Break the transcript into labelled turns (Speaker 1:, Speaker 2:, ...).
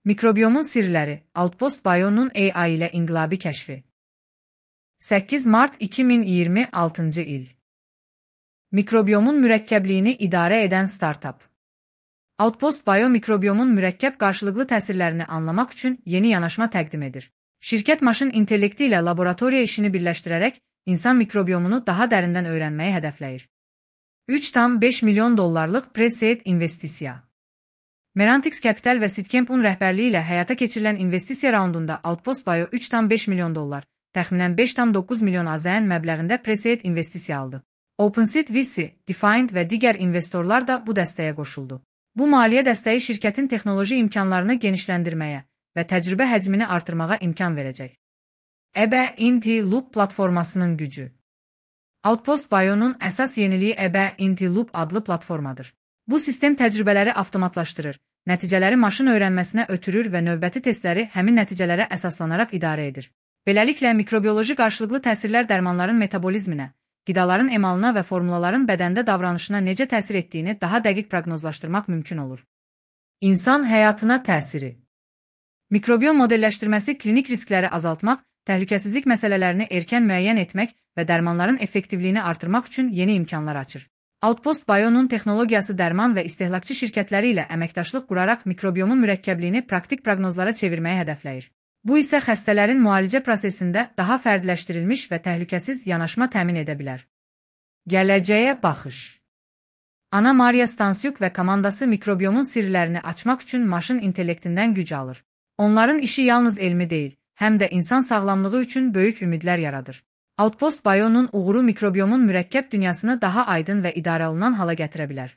Speaker 1: Mikrobiomun sirləri, Outpost Bio'nun AI ilə inqilabi kəşfi. 8 Mart 2026 il. Mikrobiomun mürəkkəbliyini idarə edən startup. Outpost Bio mikrobiomun mürəkkəb qarşılıqlı təsirlərini anlamaq üçün yeni yanaşma təqdim edir. Şirkət maşın intellekti ilə laboratoriya işini birləşdirərək insan mikrobiomunu daha dərindən öyrənməyi hədəfləyir. 3,5 milyon dollarlıq pre-seed investisiya. Merantix Capital və Sitcamp'un rəhbərliyi ilə həyata keçirilən investisiya raundunda Outpost Bio 3,5 milyon dollar, təxminən 5,9 milyon AZN məbləğində pre-seed investisiya aldı. OpenSeed VC, Defined və digər investorlar da bu dəstəyə qoşuldu. Bu maliyyə dəstəyi şirkətin texnoloji imkanlarını genişləndirməyə və təcrübə həcmini artırmağa imkan verəcək. EBE-INT-Loop platformasının gücü. Outpost Bio'nun əsas yeniliyi EBE-INT-Loop adlı platformadır. Bu sistem təcrübələri avtomatlaşdırır, nəticələri maşın öyrənməsinə ötürür və növbəti testləri həmin nəticələrə əsaslanaraq idarə edir. Beləliklə, mikrobioloji qarşılıqlı təsirlər dərmanların metabolizminə, qidaların emalına və formulaların bədəndə davranışına necə təsir etdiyini daha dəqiq proqnozlaşdırmaq mümkün olur. İnsan həyatına təsiri. Mikrobiom modelləşdirməsi klinik riskləri azaltmaq, təhlükəsizlik məsələlərini erkən müəyyən etmək və dərmanların effektivliyini artırmaq üçün yeni imkanlar açır. Outpost Bio'nun texnologiyası dərman və istehlakçı şirkətləri ilə əməkdaşlıq quraraq mikrobiomun mürəkkəbliyini praktik proqnozlara çevirməyi hədəfləyir. Bu isə xəstələrin müalicə prosesində daha fərdləşdirilmiş və təhlükəsiz yanaşma təmin edə bilər. Gələcəyə baxış. Ana Maria Stansiuk və komandası mikrobiomun sirlərini açmaq üçün maşın intellektindən güc alır. Onların işi yalnız elmi deyil, həm də insan sağlamlığı üçün böyük ümidlər yaradır. Outpost Bio'nun uğuru mikrobiomun mürəkkəb dünyasını daha aydın və idarə olunan hala gətirə bilər.